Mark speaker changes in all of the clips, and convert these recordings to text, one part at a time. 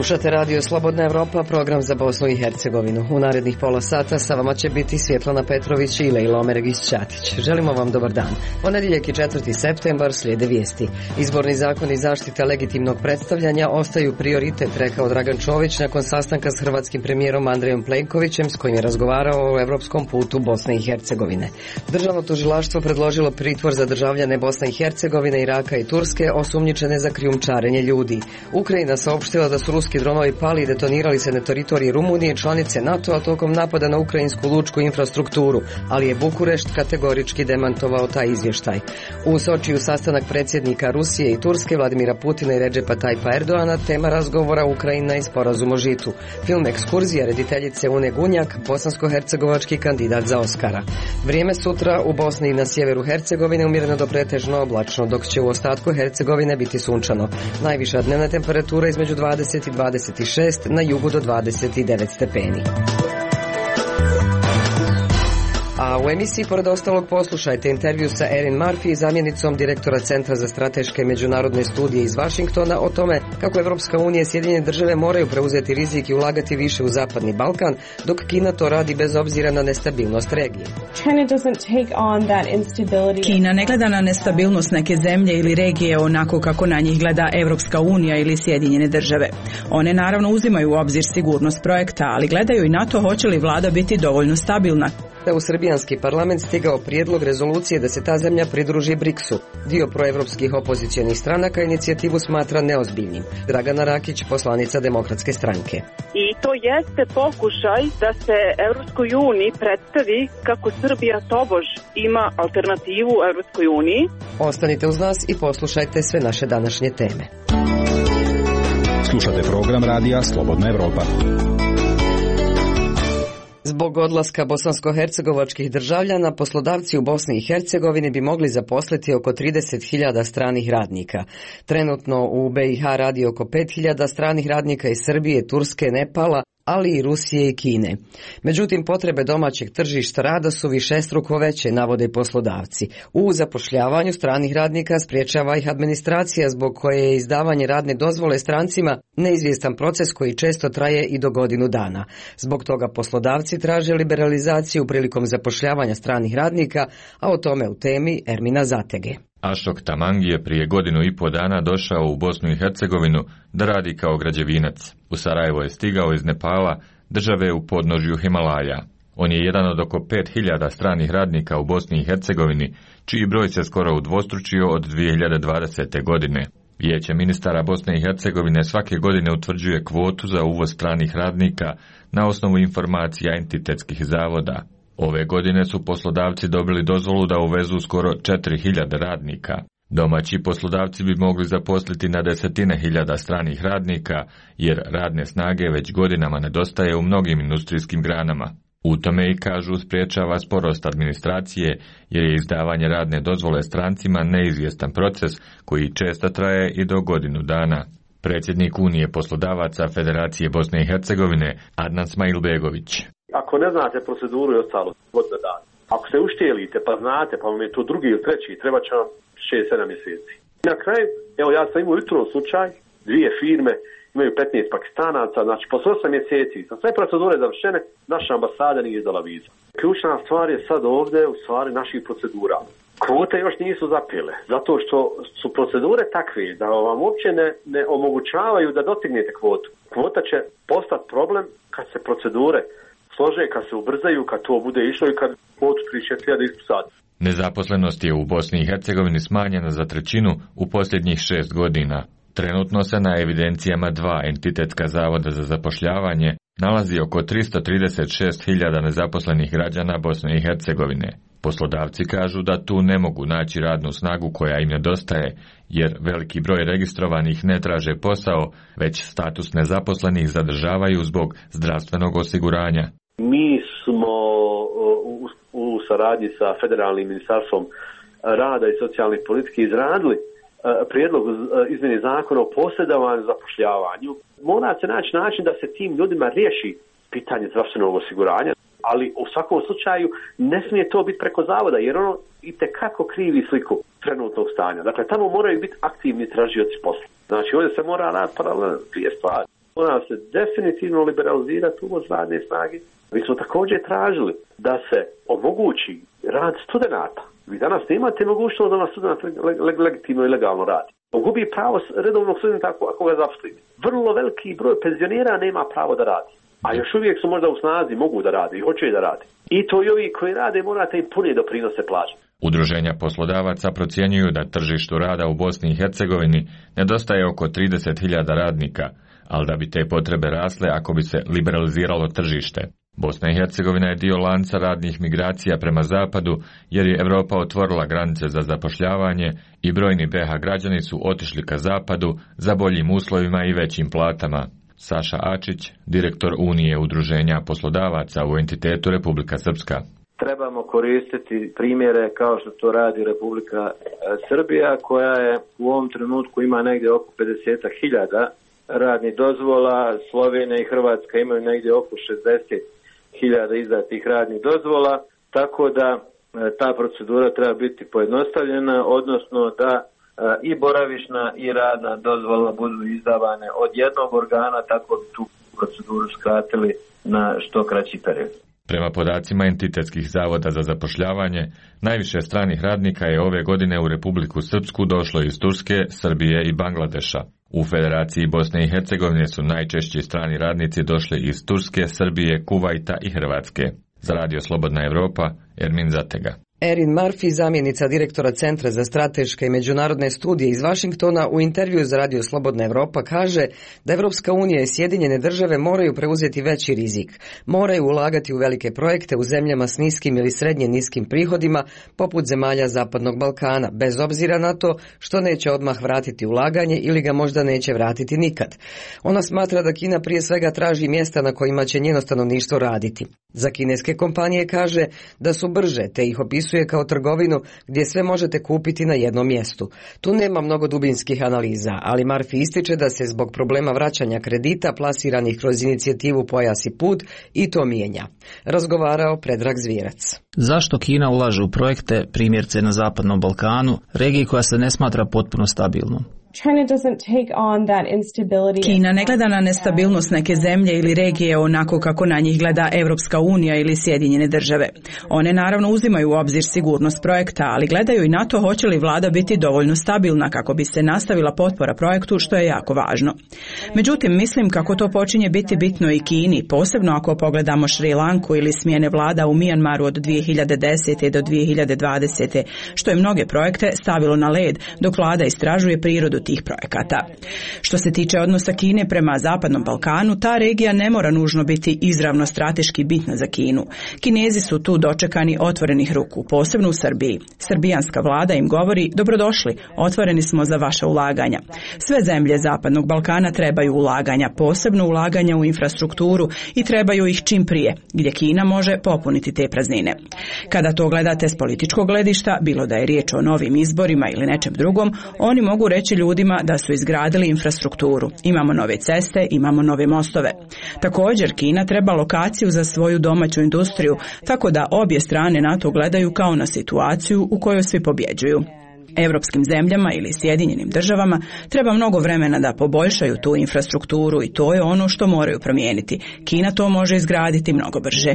Speaker 1: Slušate radio Slobodna Evropa, program za Bosnu i Hercegovinu. U narednih pola sata sa vama će biti Svjetlana Petrović i Lejla Omeregić-Ćatić. Želimo vam dobar dan. Ponedjeljak je 4. septembar, slijede vijesti. Izborni zakon i zaštita legitimnog predstavljanja ostaju prioritet, rekao Dragan Čović nakon sastanka s hrvatskim premijerom Andrejom Plenkovićem s kojim je razgovarao o evropskom putu Bosne i Hercegovine. Državno tužilaštvo predložilo pritvor za državljane Bosne i Hercegovine, Iraka i Turske osumnjičene za krijumčarenje ljudi. Ukrajina saopštila da su ruski dronovi pali i detonirali se na teritoriji Rumunije, članice NATO-a, tokom napada na ukrajinsku lučku infrastrukturu, ali je Bukurešt kategorički demantovao taj izvještaj. U Sočiju sastanak predsjednika Rusije i Turske Vladimira Putina i Redžepa Tayyip Erdoana, tema razgovora Ukrajina i sporazum o žitu. Film Ekskurzija rediteljice Une Gunjak, bosansko-hercegovački kandidat za Oskara. Vrijeme sutra u Bosni i na sjeveru Hercegovine umjereno do pretežno oblačno, dok će u ostatku Hercegovine biti sunčano. Najviša dnevna temperatura između 20 i 26, na jugu do 29 stepeni. A u emisiji, pored ostalog, poslušajte intervju sa Erin Murphy, zamjenicom direktora Centra za strateške međunarodne studije iz Vašingtona, o tome kako Evropska unija i Sjedinjene države moraju preuzeti rizik i ulagati više u Zapadni Balkan, dok Kina to radi bez obzira na nestabilnost regije.
Speaker 2: Kina ne gleda na nestabilnost neke zemlje ili regije onako kako na njih gleda Evropska unija ili Sjedinjene države. One naravno uzimaju u obzir sigurnost projekta, ali gledaju i na to hoće li vlada biti dovoljno stabilna.
Speaker 1: Da u srbijanski parlament stigao prijedlog rezolucije da se ta zemlja pridruži BRICS-u. Dio proevropskih opozicionih stranaka inicijativu smatra neozbiljnim. Dragana Rakić, poslanica Demokratske stranke.
Speaker 3: I to jeste pokušaj da se Evropskoj uniji predstavi kako Srbija tobož ima alternativu Evropskoj uniji.
Speaker 1: Ostanite uz nas i poslušajte sve naše današnje teme.
Speaker 4: Slušate program radija Slobodna Evropa.
Speaker 1: Zbog odlaska bosansko-hercegovačkih državljana, poslodavci u Bosni i Hercegovini bi mogli zaposliti oko 30.000 stranih radnika. Trenutno u BiH radi oko 5.000 stranih radnika iz Srbije, Turske, Nepala, ali i Rusije i Kine. Međutim, potrebe domaćeg tržišta rada su višestruko veće, navode poslodavci. U zapošljavanju stranih radnika sprječava ih administracija, zbog koje je izdavanje radne dozvole strancima neizvjestan proces koji često traje i do godinu dana. Zbog toga poslodavci traže liberalizaciju prilikom zapošljavanja stranih radnika, a o tome u temi Ermina Zatege.
Speaker 5: Ašok Tamangi je prije 1,5 dana došao u Bosnu i Hercegovinu da radi kao građevinac. U Sarajevo je stigao iz Nepala, države u podnožju Himalaja. On je jedan od oko 5.000 stranih radnika u Bosni i Hercegovini, čiji broj se skoro udvostručio od 2020. godine. Vijeće ministara Bosne i Hercegovine svake godine utvrđuje kvotu za uvoz stranih radnika na osnovu informacija entitetskih zavoda. Ove godine su poslodavci dobili dozvolu da uvezu skoro 4.000 radnika. Domaći poslodavci bi mogli zaposliti na desetine hiljada stranih radnika, jer radne snage već godinama nedostaje u mnogim industrijskim granama. U tome i kažu spriječava sporost administracije, jer je izdavanje radne dozvole strancima neizvjestan proces koji često traje i do godinu dana. Predsjednik Unije poslodavaca Federacije Bosne i Hercegovine Adnan Smajlbegović.
Speaker 6: Ako ne znate proceduru i ostalo, godina dana. Ako se uštijelite pa znate, pa vam je to drugi ili treći, treba će vam 6-7 mjeseci. I na kraju, evo ja sam imao jutro slučaj, 2 firme imaju 15 Pakistanaca, znači posle 8 mjeseci, sa sve procedure završene, naša ambasada nije izdala vizu. Ključna stvar je sad ovdje u stvari naših procedura. Kvote još nisu zapile, zato što su procedure takve da vam uopće ne omogućavaju da dostignete kvotu. Kvota će postati problem kad se procedure slože, kad se ubrzaju, kad to bude išlo i kad kvotu 36.000 ispisati.
Speaker 5: Nezaposlenost je u Bosni i Hercegovini smanjena za 1/3 u posljednjih 6 godina. Trenutno se na evidencijama 2 entitetska zavoda za zapošljavanje nalazi oko 336.000 nezaposlenih građana Bosne i Hercegovine. Poslodavci kažu da tu ne mogu naći radnu snagu koja im nedostaje, jer veliki broj registrovanih ne traže posao, već status nezaposlenih zadržavaju zbog zdravstvenog osiguranja.
Speaker 6: Mi smo u saradnji sa Federalnim ministarstvom rada i socijalnih politike izradili prijedlog izmjene zakona o posredovanju i zapošljavanju. Mora se naći način da se tim ljudima riješi pitanje zdravstvenog osiguranja, ali u svakom slučaju ne smije to biti preko zavoda, jer ono itekako krivi sliku trenutnog stanja. Dakle, tamo moraju biti aktivni tražioci posla. Znači, ovdje se mora raditi paralelno 2 stvari. Mora se definitivno liberalizirati uvoz radne snage. Mi smo također tražili da se omogući rad studenata. Vi danas nemate mogućnost da student legitimno i legalno radi. On gubi pravo redovnog studenta ako ga zaposlite. Vrlo veliki broj penzionera nema pravo da radi. A još uvijek su možda u snazi, mogu da radi i hoće da radi. I to i ovi koji rade morate im pune doprinose plaćati.
Speaker 5: Udruženja poslodavaca procjenjuju da tržištu rada u Bosni i Hercegovini nedostaje oko 30.000 radnika, ali da bi te potrebe rasle ako bi se liberaliziralo tržište. Bosna i Hercegovina je dio lanca radnih migracija prema zapadu, jer je Europa otvorila granice za zapošljavanje i brojni BiH građani su otišli ka zapadu za boljim uslovima i većim platama. Saša Ačić, direktor Unije udruženja poslodavaca u entitetu Republika Srpska.
Speaker 7: Trebamo koristiti primjere kao što to radi Republika Srbija, koja je u ovom trenutku ima negdje oko 50.000 radnih dozvola. Slovenija i Hrvatska imaju negdje oko 60.000 izdatih radnih dozvola, tako da ta procedura treba biti pojednostavljena, odnosno da i boravišna i radna dozvola budu izdavane od jednog organa, tako bi tu proceduru skratili na što kraći period.
Speaker 5: Prema podacima entitetskih zavoda za zapošljavanje, najviše stranih radnika je ove godine u Republiku Srpsku došlo iz Turske, Srbije i Bangladeša. U Federaciji Bosne i Hercegovine su najčešći strani radnici došli iz Turske, Srbije, Kuvajta i Hrvatske. Za Radio Slobodna Evropa, Ermin Zatega.
Speaker 1: Erin Murphy, zamjenica direktora Centra za strateške i međunarodne studije iz Vašingtona, u intervju za Radio Slobodna Evropa kaže da Evropska unija i Sjedinjene države moraju preuzeti veći rizik. Moraju ulagati u velike projekte u zemljama s niskim ili srednje niskim prihodima, poput zemalja Zapadnog Balkana, bez obzira na to što neće odmah vratiti ulaganje ili ga možda neće vratiti nikad. Ona smatra da Kina prije svega traži mjesta na kojima će njeno stanovništvo raditi. Za kineske kompanije kaže da su brže, te ih opisuje kao trgovinu gdje sve možete kupiti na jednom mjestu. Tu nema mnogo dubinskih analiza, ali Murphy ističe da se zbog problema vraćanja kredita plasiranih kroz inicijativu Pojas i put i to mijenja. Razgovarao Predrag Zvijerac.
Speaker 8: Zašto Kina ulaže u projekte, primjerice na Zapadnom Balkanu, regiji koja se ne smatra potpuno stabilnom?
Speaker 2: Kina ne gleda na nestabilnost neke zemlje ili regije onako kako na njih gleda Evropska unija ili Sjedinjene države. One naravno uzimaju u obzir sigurnost projekta, ali gledaju i na to hoće li vlada biti dovoljno stabilna kako bi se nastavila potpora projektu, što je jako važno. Međutim, mislim kako to počinje biti bitno i Kini, posebno ako pogledamo Šri Lanku ili smjene vlada u Mijanmaru od 2010. do 2020. što je mnoge projekte stavilo na led dok vlada istražuje prirodu tih projekata. Što se tiče odnosa Kine prema Zapadnom Balkanu, ta regija ne mora nužno biti izravno strateški bitna za Kinu. Kinezi su tu dočekani otvorenih ruku, posebno u Srbiji. Srbijanska vlada im govori: dobrodošli, otvoreni smo za vaša ulaganja. Sve zemlje Zapadnog Balkana trebaju ulaganja, posebno ulaganja u infrastrukturu i trebaju ih čim prije, gdje Kina može popuniti te praznine. Kada to gledate s političkog gledišta, bilo da je riječ o novim izborima ili nečem drugom, oni mogu reći ljudima da su izgradili infrastrukturu. Imamo nove ceste, imamo nove mostove. Također, Kina treba lokaciju za svoju domaću industriju, tako da obje strane na to gledaju kao na situaciju u kojoj svi pobjeđuju. Europskim zemljama ili Sjedinjenim državama treba mnogo vremena da poboljšaju tu infrastrukturu i to je ono što moraju promijeniti. Kina to može izgraditi mnogo brže.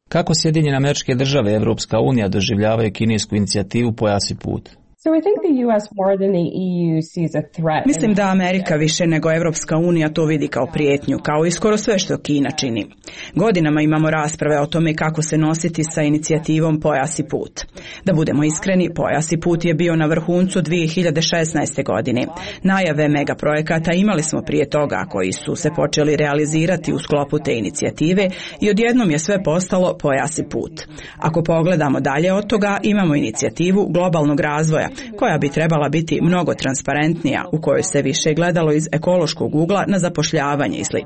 Speaker 8: Kako Sjedinjene Američke Države i Evropska unija doživljavaju kinesku inicijativu Pojas i put?
Speaker 2: Mislim da Amerika više nego Evropska unija to vidi kao prijetnju, kao i skoro sve što Kina čini. Godinama imamo rasprave o tome kako se nositi sa inicijativom Pojas i put. Da budemo iskreni, Pojas i put je bio na vrhuncu 2016. godine. Najave megaprojekata imali smo prije toga koji su se počeli realizirati u sklopu te inicijative i odjednom je sve postalo Pojas i put. Ako pogledamo dalje od toga, imamo inicijativu globalnog razvoja koja bi trebala biti mnogo transparentnija, u kojoj se više gledalo iz ekološkog ugla na zapošljavanje i sl.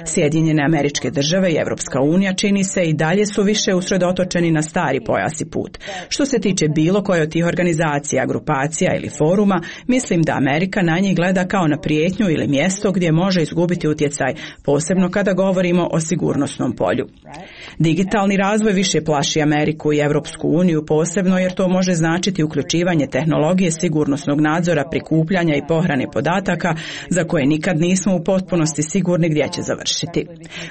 Speaker 2: Sjedinjene Američke Države i Evropska unija čini se i dalje su više usredotočeni na stari pojas i put. Što se tiče bilo koje od tih organizacija, grupacija ili foruma, mislim da Amerika na njih gleda kao na prijetnju ili mjesto gdje može izgubiti utjecaj, posebno kada govorimo o sigurnosnom polju. Digitalni razvoj više plaši Ameriku i Evropsku uniju, posebno jer to može značiti uključivanje razvijanje tehnologije sigurnosnog nadzora, prikupljanja i pohrane podataka za koje nikad nismo u potpunosti sigurni gdje će završiti.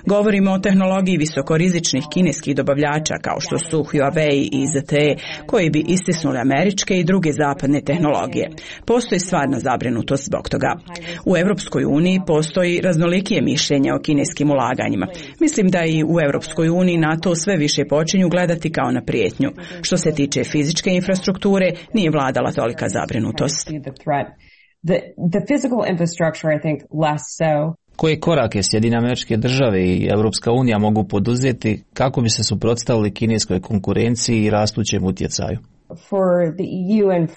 Speaker 2: Govorimo o tehnologiji visokorizičnih kineskih dobavljača kao što su Huawei i ZTE, koji bi istisnuli američke i druge zapadne tehnologije. Postoji stvarna zabrinutost zbog toga. U Europskoj uniji postoji raznolikije mišljenje o kineskim ulaganjima. Mislim da i u Europskoj uniji na to sve više počinju gledati kao na prijetnju. Što se tiče fizičke infrastrukture, nije vladala tolika zabrinutost.
Speaker 9: The physical infrastructure, I think, less so.
Speaker 8: Koje korake Sjedinjene Američke Države i Europska unija mogu poduzeti kako bi se suprotstavili kineskoj konkurenciji i rastućem utjecaju?
Speaker 9: For the EU and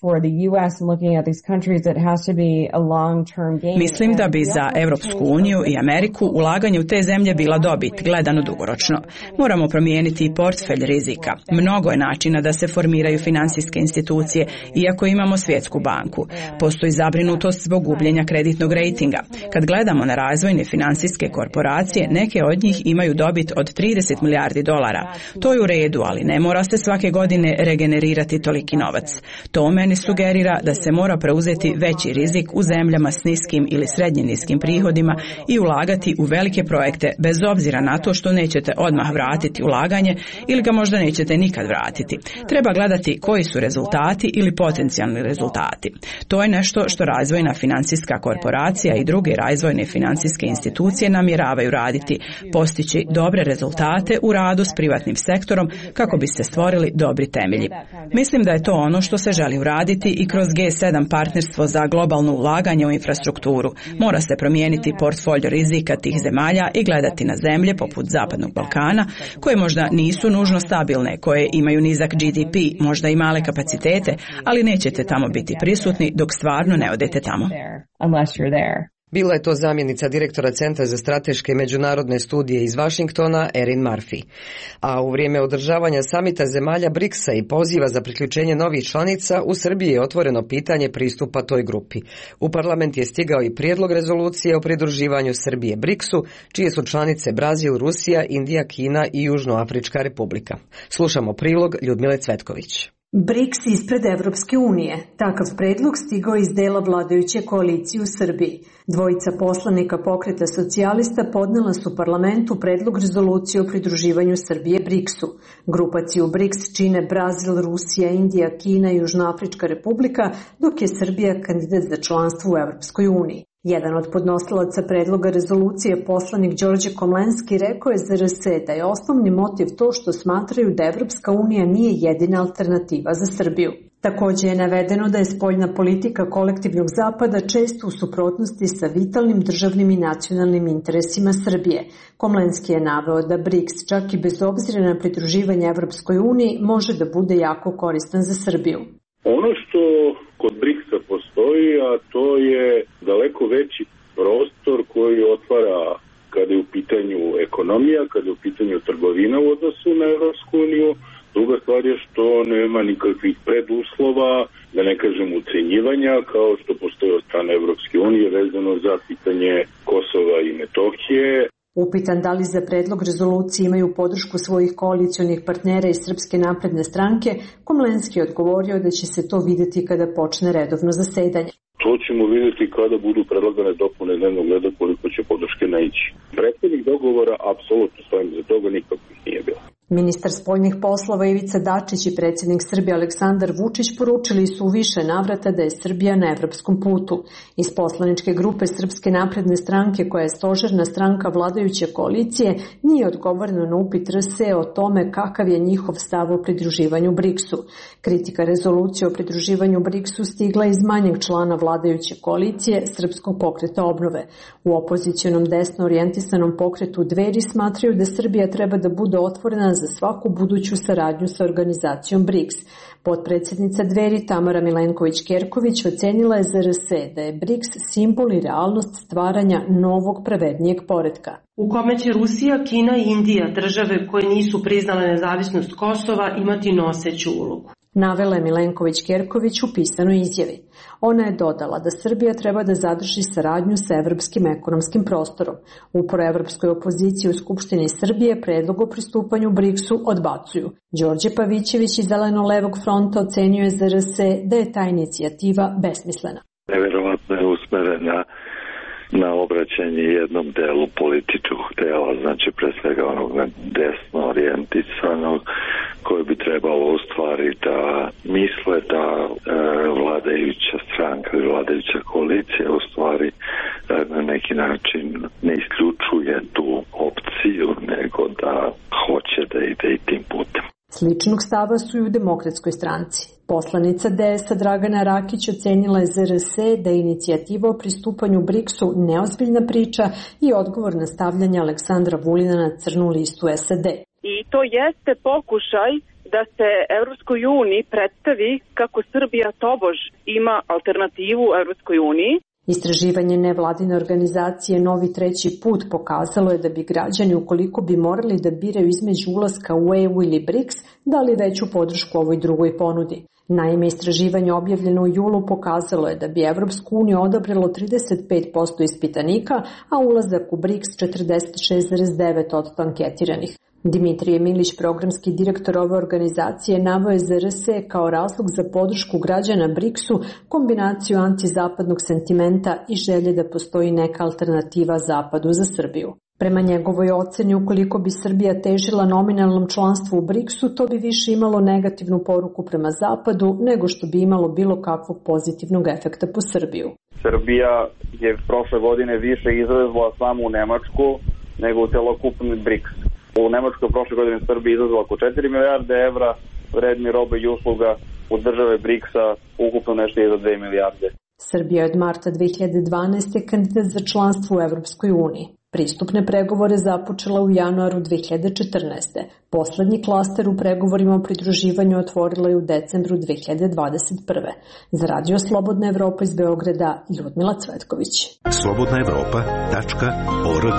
Speaker 9: for the US and looking at these countries, it has to be a long-term gain.
Speaker 2: Mislim da bi za Europsku uniju i Ameriku ulaganje u te zemlje bila dobit, gledano dugoročno. Moramo promijeniti i portfelj rizika. Mnogo je načina da se formiraju financijske institucije, iako imamo Svjetsku banku. Postoji zabrinutost zbog gubljenja kreditnog rejtinga. Kad gledamo na razvojne financijske korporacije, neke od njih imaju dobit od 30 milijardi dolara. To je u redu, ali ne mora se svake godine regenerirati toliki novac. To meni sugerira da se mora preuzeti veći rizik u zemljama s niskim ili srednje niskim prihodima i ulagati u velike projekte bez obzira na to što nećete odmah vratiti ulaganje ili ga možda nećete nikad vratiti. Treba gledati koji su rezultati ili potencijalni rezultati. To je nešto što razvojna financijska korporacija i druge razvojne financijske institucije namjeravaju raditi, postići dobre rezultate u radu s privatnim sektorom kako bi se stvorili dobri temelji. Mislim da je to ono što se želi uraditi i kroz G7 partnerstvo za globalno ulaganje u infrastrukturu. Mora se promijeniti portfolio rizika tih zemalja i gledati na zemlje poput Zapadnog Balkana, koje možda nisu nužno stabilne, koje imaju nizak GDP, možda i male kapacitete, ali nećete tamo biti prisutni dok stvarno ne odete tamo.
Speaker 1: Bila je to zamjenica direktora Centra za strateške i međunarodne studije iz Washingtona, Erin Murphy. A u vrijeme održavanja samita zemalja BRICS-a i poziva za priključenje novih članica, u Srbiji je otvoreno pitanje pristupa toj grupi. U parlament je stigao i prijedlog rezolucije o pridruživanju Srbije BRICS-u, čije su članice Brazil, Rusija, Indija, Kina i Južnoafrička republika. Slušamo prilog Ljudmile Cvetković.
Speaker 10: BRICS ispred Evropske unije. Takav predlog stigao iz dela vladajuće koalicije u Srbiji. Dvojica poslanika Pokreta socijalista podnela su parlamentu predlog rezolucije o pridruživanju Srbije BRICS-u. Grupaciju BRICS čine Brazil, Rusija, Indija, Kina i Južnoafrička republika, dok je Srbija kandidat za članstvo u Evropskoj uniji. Jedan od podnosilaca predloga rezolucije, poslanik Đorđe Komlenski, rekao je za RS da je osnovni motiv to što smatraju da Evropska unija nije jedina alternativa za Srbiju. Također je navedeno da je spoljna politika kolektivnog zapada često u suprotnosti sa vitalnim državnim i nacionalnim interesima Srbije. Komlenski je naveo da BRICS, čak i bez obzira na pridruživanje Evropskoj uniji, može da bude jako koristan za Srbiju.
Speaker 11: Ono što kod BRICS-a postoji, a to je daleko veći prostor koji otvara kada je u pitanju ekonomija, kada je u pitanju trgovina u odnosu na Evropsku uniju. Druga stvar je što nema nikakvih preduslova, da ne kažem ucenjivanja, kao što postoji od strane Evropske unije vezano za pitanje Kosova i Metohije.
Speaker 10: Upitan da li za predlog rezolucije imaju podršku svojih koalicionih partnera iz Srpske napredne stranke, Komlenski je odgovorio da će se to vidjeti kada počne redovno zasedanje.
Speaker 11: To ćemo vidjeti kada budu predlagane dopune dnevnog reda koliko će podrške naići. Prethodnih dogovora apsolutno stojim za toga, nikakvih nije bilo.
Speaker 10: Ministar spoljnih poslova Ivica Dačić i predsjednik Srbije Aleksandar Vučić poručili su u više navrata da je Srbija na evropskom putu. Iz poslaničke grupe Srpske napredne stranke, koja je stožerna stranka vladajuće koalicije, nije odgovoreno na upit RS o tome kakav je njihov stav o pridruživanju BRICS-u. Kritika rezolucije o pridruživanju BRICS-u stigla iz manjeg člana vladajuće koalicije Srpskog pokreta obnove. U opozicionom desno orijentisanom pokretu Dveri smatraju da Srbija treba da bude otvorena za svaku buduću saradnju sa organizacijom BRICS. Potpredsjednica Dveri Tamara Milenković-Kerković ocenila je za RS da je BRICS simbol i realnost stvaranja novog pravednijeg poretka.
Speaker 12: U kome će Rusija, Kina i Indija, države koje nisu priznale nezavisnost Kosova, imati noseću ulogu.
Speaker 10: navela je Milenković-Kerković u pisanoj izjavi. Ona je dodala da Srbija treba da zadrži saradnju sa evropskim ekonomskim prostorom. U proevropskoj opoziciji u Skupštini Srbije predlog o pristupanju BRICS-u odbacuju. Đorđe Pavićević iz Zeleno-levog fronta ocenio je za RS da je ta inicijativa besmislena.
Speaker 12: Neverovatno je usmerena na obraćanje jednom delu političkog dela, znači pre svega onog desno orijentisanog, koji bi trebalo u stvari da misle da vladajuća stranka ili vladajuća koalicija u stvari na neki način ne isključuje tu opciju, nego da hoće da ide i tim putem.
Speaker 10: Sličnog stava su i u Demokratskoj stranci. Poslanica DS-a Dragana Rakić ocenila je za RS da je inicijativa o pristupanju BRICS-u neozbiljna priča i odgovor na stavljanje Aleksandra Vulina na crnu listu SAD.
Speaker 3: I to jeste pokušaj da se Evropskoj uniji predstavi kako Srbija tobož ima alternativu Evropskoj uniji.
Speaker 10: Istraživanje nevladine organizacije Novi treći put pokazalo je da bi građani, ukoliko bi morali da biraju između ulaska u EU ili BRICS, dali veću podršku ovoj drugoj ponudi. Naime, istraživanje objavljeno u julu pokazalo je da bi Evropsku uniju odabralo 35% ispitanika, a ulazak u BRICS 46,9% anketiranih. Dimitrije Milić, programski direktor ove organizacije, naveo je za RS kao razlog za podršku građana BRICS-u kombinaciju antizapadnog sentimenta i želje da postoji neka alternativa Zapadu za Srbiju. Prema njegovoj oceni, ukoliko bi Srbija težila nominalnom članstvu u BRICS-u, to bi više imalo negativnu poruku prema Zapadu nego što bi imalo bilo kakvog pozitivnog efekta po Srbiju.
Speaker 13: Srbija je prošle godine više izvezla samo u Nemačku nego u celokupni BRICS. U Nemačkoj prošle godine Srbija izvezla oko 4 milijarde evra vredni robe i usluga, u države BRICS-a ukupno nešto je za 2 milijarde.
Speaker 10: Srbija je od marta 2012. kandidat za članstvo u Evropskoj uniji. Pristupne pregovore započela u januaru 2014. Poslednji klaster u pregovorima o pridruživanju otvorila je u decembru 2021. Za Radio Slobodna Evropa iz Beograda, Ljudmila Cvetković.
Speaker 14: slobodnaevropa.org.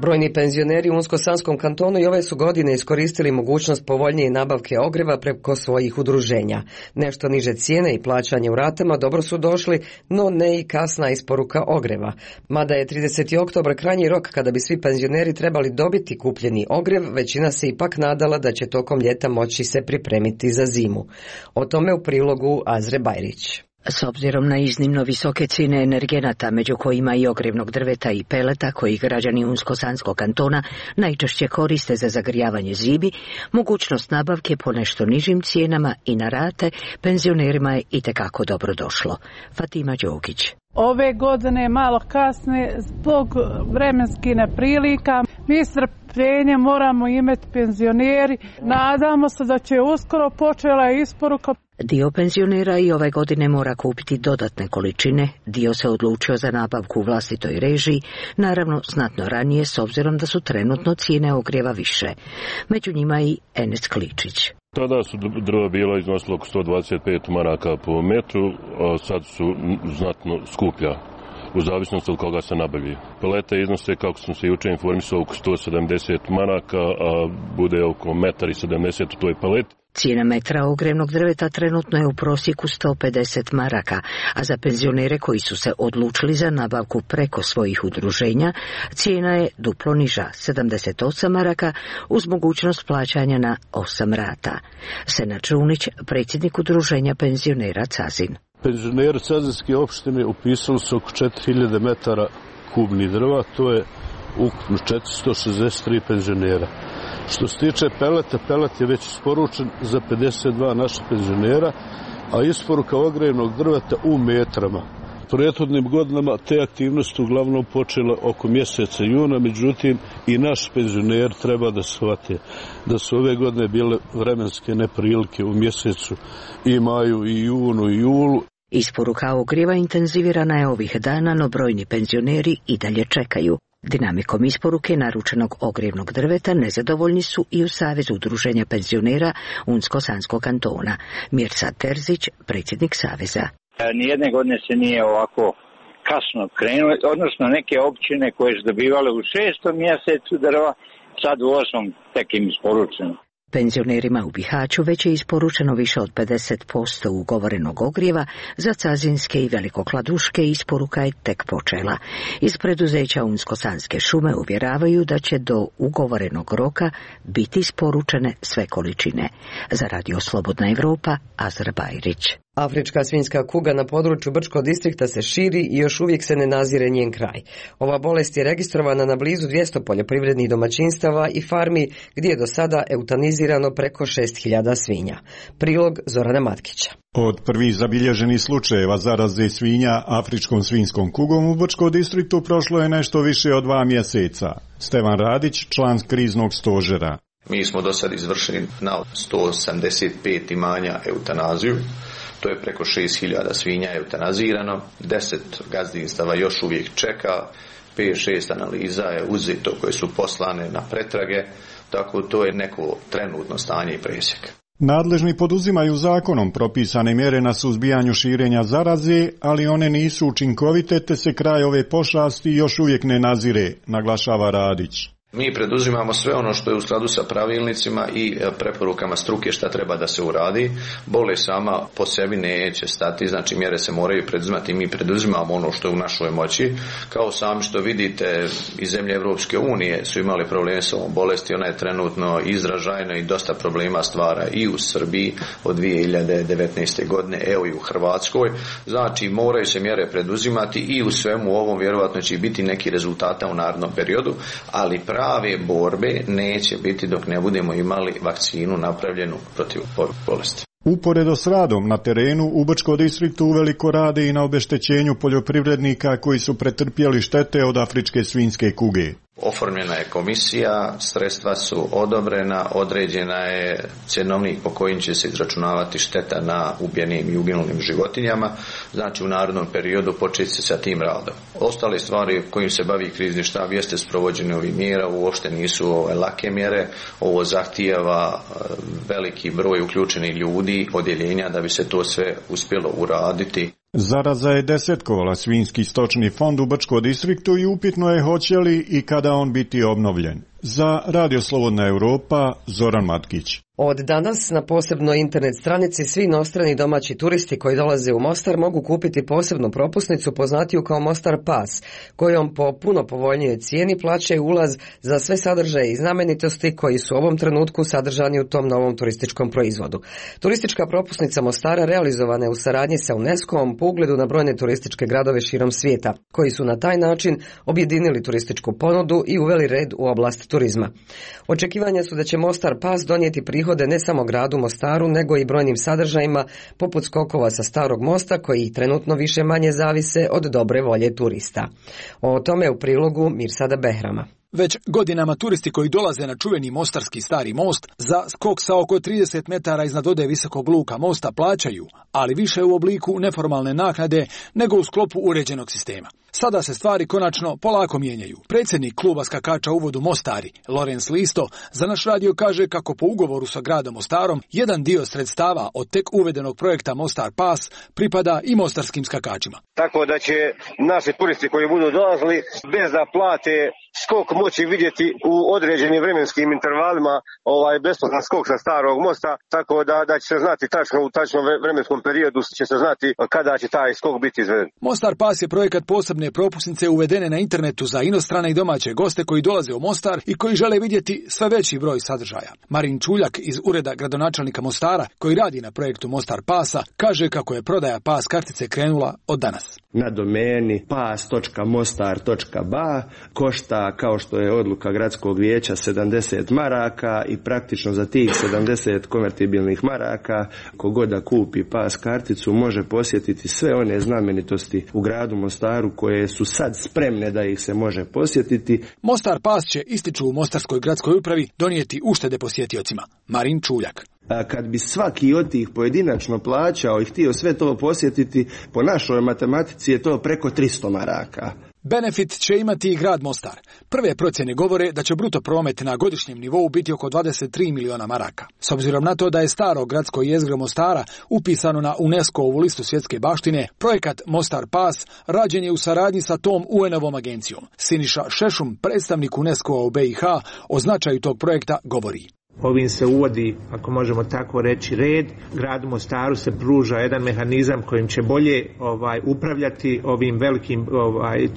Speaker 1: Brojni penzioneri u Unsko-Sanskom kantonu i ove su godine iskoristili mogućnost povoljnije nabavke ogreva preko svojih udruženja. Nešto niže cijene i plaćanje u ratama dobro su došli, no ne i kasna isporuka ogreva. Mada je 30. oktobar krajnji rok kada bi svi penzioneri trebali dobiti kupljeni ogrev, većina se ipak nadala da će tokom ljeta moći se pripremiti za zimu. O tome u prilogu Azre Bajrić.
Speaker 15: S obzirom na iznimno visoke cijene energenata, među kojima i ogrevnog drveta i peleta, koji građani Unsko-Sanskog kantona najčešće koriste za zagrijavanje zimi, mogućnost nabavke po nešto nižim cijenama i na rate penzionerima je itekako dobro došlo. Fatima Đogić.
Speaker 16: Ove godine malo kasne zbog vremenskih neprilika. Mi strpljenje moramo imati penzioneri. Nadamo se da će uskoro počela isporuka.
Speaker 15: Dio penzionera i ove godine mora kupiti dodatne količine, dio se odlučio za nabavku u vlastitoj režiji, naravno znatno ranije s obzirom da su trenutno cijene ogrijeva više. Među njima i Enes Kličić.
Speaker 17: Tada su drva bila iznosila oko 125 maraka po metru, a sad su znatno skuplja, u zavisnosti od koga se nabavlja. Pelete iznose, kako sam se juče informisao, oko 170 maraka, a bude oko 1,70 m u toj paleti.
Speaker 15: Cijena metra ogrevnog drveta trenutno je u prosjeku 150 maraka, a za penzionere koji su se odlučili za nabavku preko svojih udruženja, cijena je duplo niža, 78 maraka, uz mogućnost plaćanja na 8 rata. Senad Žunić, predsjednik udruženja penzionera Cazin.
Speaker 18: Penzioneri Cazinske opštine upisali su oko 4000 metara kubnih drva, to je ukupno 463 penzionera. Što se tiče peleta, pelet je već isporučen za 52 naša penzionera, a isporuka ogrevnog drveta u metrama. Prethodnim godinama te aktivnosti uglavnom počela oko mjeseca juna, međutim i naši penzioneri treba da shvate da su ove godine bile vremenske neprilike u mjesecu i maju, i junu, i julu.
Speaker 15: Isporuka ogrijeva intenzivirana je ovih dana, no brojni penzioneri i dalje čekaju. Dinamikom isporuke naručenog ogrijevnog drveta nezadovoljni su i u Savezu udruženja penzionera Unsko-Sanskog kantona. Mirsa Terzić, predsjednik Saveza.
Speaker 19: Nijedne godine se nije ovako kasno krenuo, odnosno neke općine koje su dobivale u 6. mjesecu drva, sad u 8. tek im isporučeno.
Speaker 15: Penzionerima u Bihaću već je isporučeno više od 50% ugovorenog ogrijeva, za cazinske i velikokladuške isporuka je tek počela. Iz preduzeća Unsko-Sanske šume uvjeravaju da će do ugovorenog roka biti isporučene sve količine. Za Radio Slobodna Evropa, Azra Bajrić.
Speaker 1: Afrička svinjska kuga na području Brčkog distrikta se širi i još uvijek se ne nazire njen kraj. Ova bolest je registrovana na blizu 200 poljoprivrednih domaćinstava i farmi gdje je do sada eutanizirano preko 6.000 svinja. Prilog Zorana Matkića.
Speaker 14: Od prvih zabilježenih slučajeva zaraze svinja afričkom svinjskom kugom u Brčkom distriktu prošlo je nešto više od 2 mjeseca. Stevan Radić, član kriznog stožera.
Speaker 20: Mi smo do sad izvršili na 185 imanja eutanaziju. To je preko 6.000 svinja eutanazirano, 10 gazdinstava još uvijek čeka, 5-6 analiza je uzeto koje su poslane na pretrage, tako to je neko trenutno stanje i presjek.
Speaker 14: Nadležni poduzimaju zakonom propisane mjere na suzbijanju širenja zaraze, ali one nisu učinkovite te se kraj ove pošasti još uvijek ne nazire, naglašava Radić.
Speaker 20: Mi preduzimamo sve ono što je u skladu sa pravilnicima i preporukama struke šta treba da se uradi. Bolest sama po sebi neće stati, znači mjere se moraju preduzimati i mi preduzimamo ono što je u našoj moći. Kao sami što vidite, iz zemlje Evropske unije su imali probleme s ovom bolesti, ona je trenutno izražajna i dosta problema stvara i u Srbiji od 2019. godine, evo i u Hrvatskoj. Znači moraju se mjere preduzimati i u svemu ovom vjerovatno će biti neki rezultata u narednom periodu, ali prave borbe neće biti dok ne budemo imali vakcinu napravljenu protiv bolesti.
Speaker 14: Uporedo s radom na terenu u Brčkom distriktu uveliko rade i na obeštećenju poljoprivrednika koji su pretrpjeli štete od afričke svinjske kuge.
Speaker 20: Oformljena je komisija, sredstva su odobrena, određena je cjenovnik po kojim će se izračunavati šteta na ubijenim i uginulim životinjama, znači u narednom periodu početi se sa tim radom. Ostale stvari kojim se bavi krizni štab jeste sprovođenje ovih mjera, uopšte nisu lake mjere, ovo zahtijeva veliki broj uključenih ljudi, odjeljenja da bi se to sve uspjelo uraditi.
Speaker 14: Zaraza je desetkovala svinjski stočni fond u Brčkom distriktu i upitno je hoće li i kada on biti obnovljen. Za Radio Slobodna Europa, Zoran Matkić.
Speaker 1: Od danas na posebnoj internet stranici svi inostrani domaći turisti koji dolaze u Mostar mogu kupiti posebnu propusnicu poznatiju kao Mostar Pas, kojom po puno povoljnijoj cijeni plaćaju ulaz za sve sadržaje i znamenitosti koji su u ovom trenutku sadržani u tom novom turističkom proizvodu. Turistička propusnica Mostara realizovana je u saradnji sa UNESCO-om po ugledu na brojne turističke gradove širom svijeta, koji su na taj način objedinili turističku ponudu i uveli red u oblast turizma. Očekivanja su da će Mostar Pas donijeti prihode ne samo gradu Mostaru, nego i brojnim sadržajima poput skokova sa Starog mosta, koji trenutno više manje zavise od dobre volje turista. O tome u prilogu Mirsada Behrama.
Speaker 21: Već godinama turisti koji dolaze na čuveni mostarski Stari most za skok sa oko 30 metara iznad ode visokog luka mosta plaćaju, ali više u obliku neformalne naknade nego u sklopu uređenog sistema. Sada se stvari konačno polako mijenjaju. Predsjednik kluba skakača u uvodu Mostari, Lorenz Listo, za naš radio kaže kako po ugovoru sa gradom Mostarom jedan dio sredstava od tek uvedenog projekta Mostar Pas pripada i mostarskim skakačima.
Speaker 22: Tako da će naši turisti koji budu dolazili bez da plate skok moći vidjeti u određenim vremenskim intervalima besplatan skok sa Starog mosta, tako da će se znati u tačnom vremenskom periodu će se znati kada će taj skok biti izveden.
Speaker 21: Mostar Pas je projekat posebne propusnice uvedene na internetu za inostrane i domaće goste koji dolaze u Mostar i koji žele vidjeti sve veći broj sadržaja. Marin Čuljak iz ureda gradonačelnika Mostara, koji radi na projektu Mostar Pasa, kaže kako je prodaja pas kartice krenula od danas.
Speaker 23: Na domeni pas.mostar.ba košta, kao što je odluka gradskog vijeća, 70 maraka i praktično za tih 70 konvertibilnih maraka kogod da kupi pas karticu može posjetiti sve one znamenitosti u gradu Mostaru koje su sad spremne da ih se može posjetiti.
Speaker 21: Mostar Pas će, ističu u Mostarskoj gradskoj upravi, donijeti uštede posjetiocima. Marin Čuljak.
Speaker 23: Kad bi svaki od tih pojedinačno plaćao i htio sve to posjetiti, po našoj matematici je to preko 300 maraka.
Speaker 21: Benefit će imati i grad Mostar. Prve procjene govore da će bruto promet na godišnjem nivou biti oko 23 miliona maraka. S obzirom na to da je staro gradsko jezgro Mostara upisano na UNESCO-ovu listu svjetske baštine, projekat Mostar Pas rađen je u saradnji sa tom UN-ovom agencijom. Siniša Šešum, predstavnik UNESCO-a u BiH, o značaju tog projekta govori.
Speaker 4: Ovim se uvodi, ako možemo tako reći, red. Gradu Mostaru se pruža jedan mehanizam kojim će bolje upravljati ovim velikim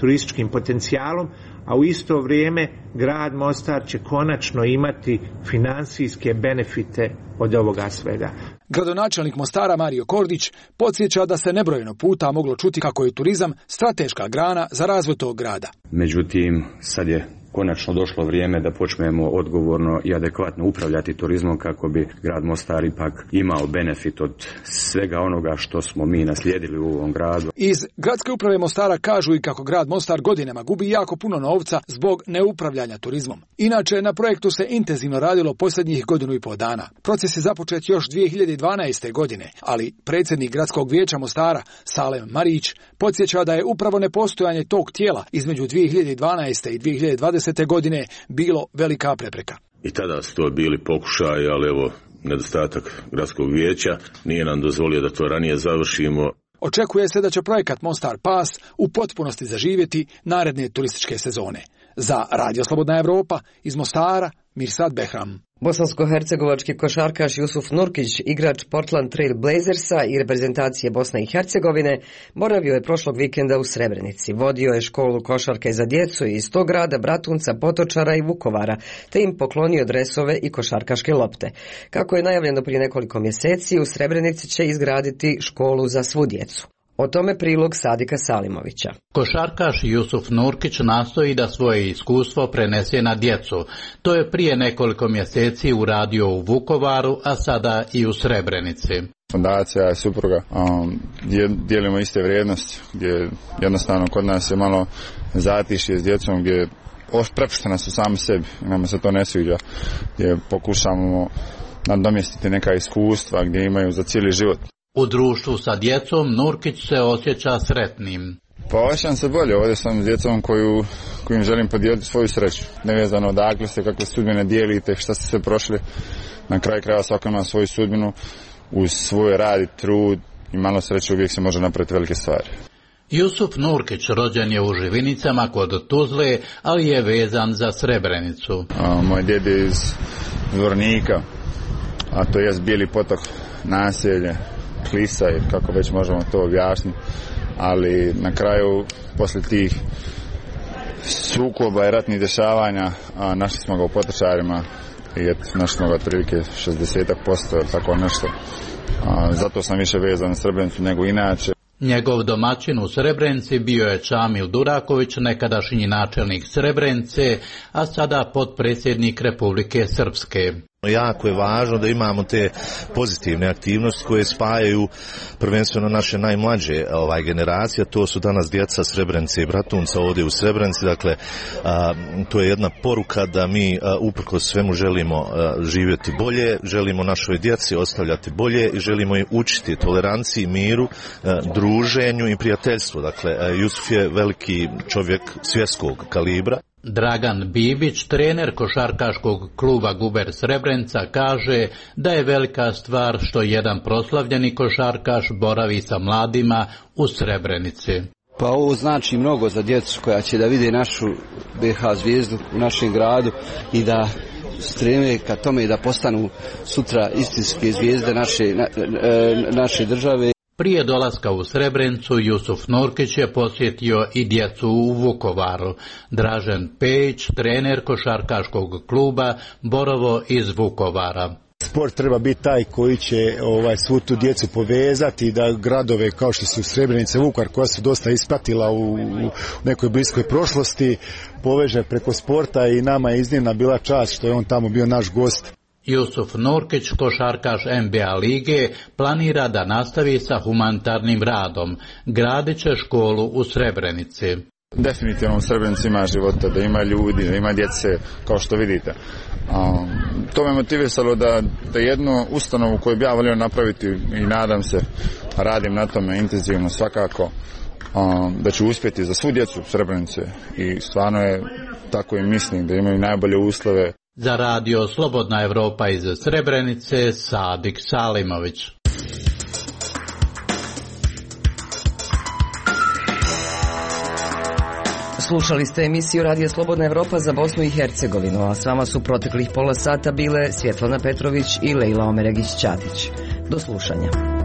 Speaker 4: turističkim potencijalom, a u isto vrijeme grad Mostar će konačno imati financijske benefite od ovoga svega.
Speaker 21: Gradonačelnik Mostara Mario Kordić podsjeća da se nebrojeno puta moglo čuti kako je turizam strateška grana za razvoj tog grada.
Speaker 6: Međutim, sad je konačno došlo vrijeme da počnemo odgovorno i adekvatno upravljati turizmom kako bi grad Mostar ipak imao benefit od svega onoga što smo mi naslijedili u ovom gradu.
Speaker 21: Iz gradske uprave Mostara kažu i kako grad Mostar godinama gubi jako puno novca zbog neupravljanja turizmom. Inače, na projektu se intenzivno radilo posljednjih 1,5 godina. Proces je započet još 2012. godine, ali predsjednik gradskog vijeća Mostara, Salem Marić, podsjeća da je upravo nepostojanje tog tijela između 2012. i 2020. godine bilo velika prepreka.
Speaker 7: I tada su to bili pokušaji, ali evo, nedostatak gradskog vijeća nije nam dozvolio da to ranije završimo.
Speaker 21: Očekuje se da će projekat Mostar Pass u potpunosti zaživjeti naredne turističke sezone. Za Radio Slobodna Evropa iz Mostara, Mirsad Behram.
Speaker 1: Bosansko-hercegovački košarkaš Jusuf Nurkić, igrač Portland Trail Blazersa i reprezentacije Bosne i Hercegovine, boravio je prošlog vikenda u Srebrenici. Vodio je školu košarke za djecu iz tog grada, Bratunca, Potočara i Vukovara, te im poklonio dresove i košarkaške lopte. Kako je najavljeno prije nekoliko mjeseci, u Srebrenici će izgraditi školu za svu djecu. O tome prilog Sadika Salimovića.
Speaker 24: Košarkaš Jusuf Nurkić nastoji da svoje iskustvo prenese na djecu. To je prije nekoliko mjeseci uradio u Vukovaru, a sada i u Srebrenici.
Speaker 25: Fondacija i supruga dijelimo iste vrijednosti, gdje jednostavno kod nas je malo zatišje s djecom, gdje prepuštena su sami sebi i nama se to ne sviđa, gdje pokušamo nadomjestiti neka iskustva gdje imaju za cijeli život.
Speaker 24: U društvu sa djecom Nurkić se osjeća sretnim.
Speaker 25: Pa osjećam se bolje, ovdje sam s djecom kojim želim podijeliti svoju sreću. Nevezano odakle ste, kakve sudbine dijelite, šta ste sve prošli. Na kraju krajeva svako ima svoju sudbinu, uz svoj rad i trud i malo sreće uvijek se može napraviti velike stvari.
Speaker 24: Jusuf Nurkić rođen je u Živinicama kod Tuzle, ali je vezan za Srebrenicu.
Speaker 25: Moj djed je iz Zvornika, a to je Bijeli potok, naselje, Klisa, kako već možemo to objasniti, ali na kraju, poslije tih sukoba i ratnih dešavanja, našli smo ga u Potočarima i našli smo ga otprilike 60%, tako nešto. Zato sam više vezan na Srebrenicu nego inače.
Speaker 24: Njegov domaćin u Srebrenici bio je Čamil Duraković, nekadašnji načelnik Srebrenice, a sada potpredsjednik Republike Srpske.
Speaker 26: Jako je važno da imamo te pozitivne aktivnosti koje spajaju prvenstveno naše najmlađe generacije, to su danas djeca Srebrenice i Bratunca ovdje u Srebrenici, dakle to je jedna poruka da mi uprkos svemu želimo živjeti bolje, želimo našoj djeci ostavljati bolje i želimo ih učiti toleranciji, miru, druženju i prijateljstvu. Dakle, Jusuf je veliki čovjek svjetskog kalibra.
Speaker 24: Dragan Bibić, trener košarkaškog kluba Guber Srebrenica, kaže da je velika stvar što jedan proslavljeni košarkaš boravi sa mladima u Srebrenici.
Speaker 27: Pa ovo znači mnogo za djecu koja će da vide našu BH zvijezdu u našem gradu i da streme ka tome da postanu sutra istinske zvijezde naše države.
Speaker 24: Prije dolaska u Srebrenicu, Jusuf Nurkić je posjetio i djecu u Vukovaru. Dražen Pejić, trener košarkaškog kluba Borovo iz Vukovara.
Speaker 28: Sport treba biti taj koji će svu tu djecu povezati, da gradove kao što su Srebrenica, Vukovar, koja su dosta ispratila u nekoj bliskoj prošlosti, poveže preko sporta i nama je iznimna bila čast što je on tamo bio naš gost.
Speaker 24: Jusuf Nurkić, košarkaš NBA lige, planira da nastavi sa humanitarnim radom. Gradit će školu u Srebrenici.
Speaker 25: Definitivno u Srebrenici ima života, da ima ljudi, da ima djece, kao što vidite. To me motivisalo da jednu ustanovu koju bi ja volio napraviti i nadam se, radim na tome intenzivno svakako, da ću uspjeti za svu djecu Srebrenice i stvarno je tako i mislim da imaju najbolje uslove.
Speaker 24: Za Radio Slobodna Evropa iz Srebrenice, Sadik Salimović.
Speaker 1: Slušali ste emisiju Radija Slobodna Evropa za Bosnu i Hercegovinu, a s vama su proteklih pola sata bile Svjetlana Petrović i Lejla Omeregić-Ćatić. Do slušanja.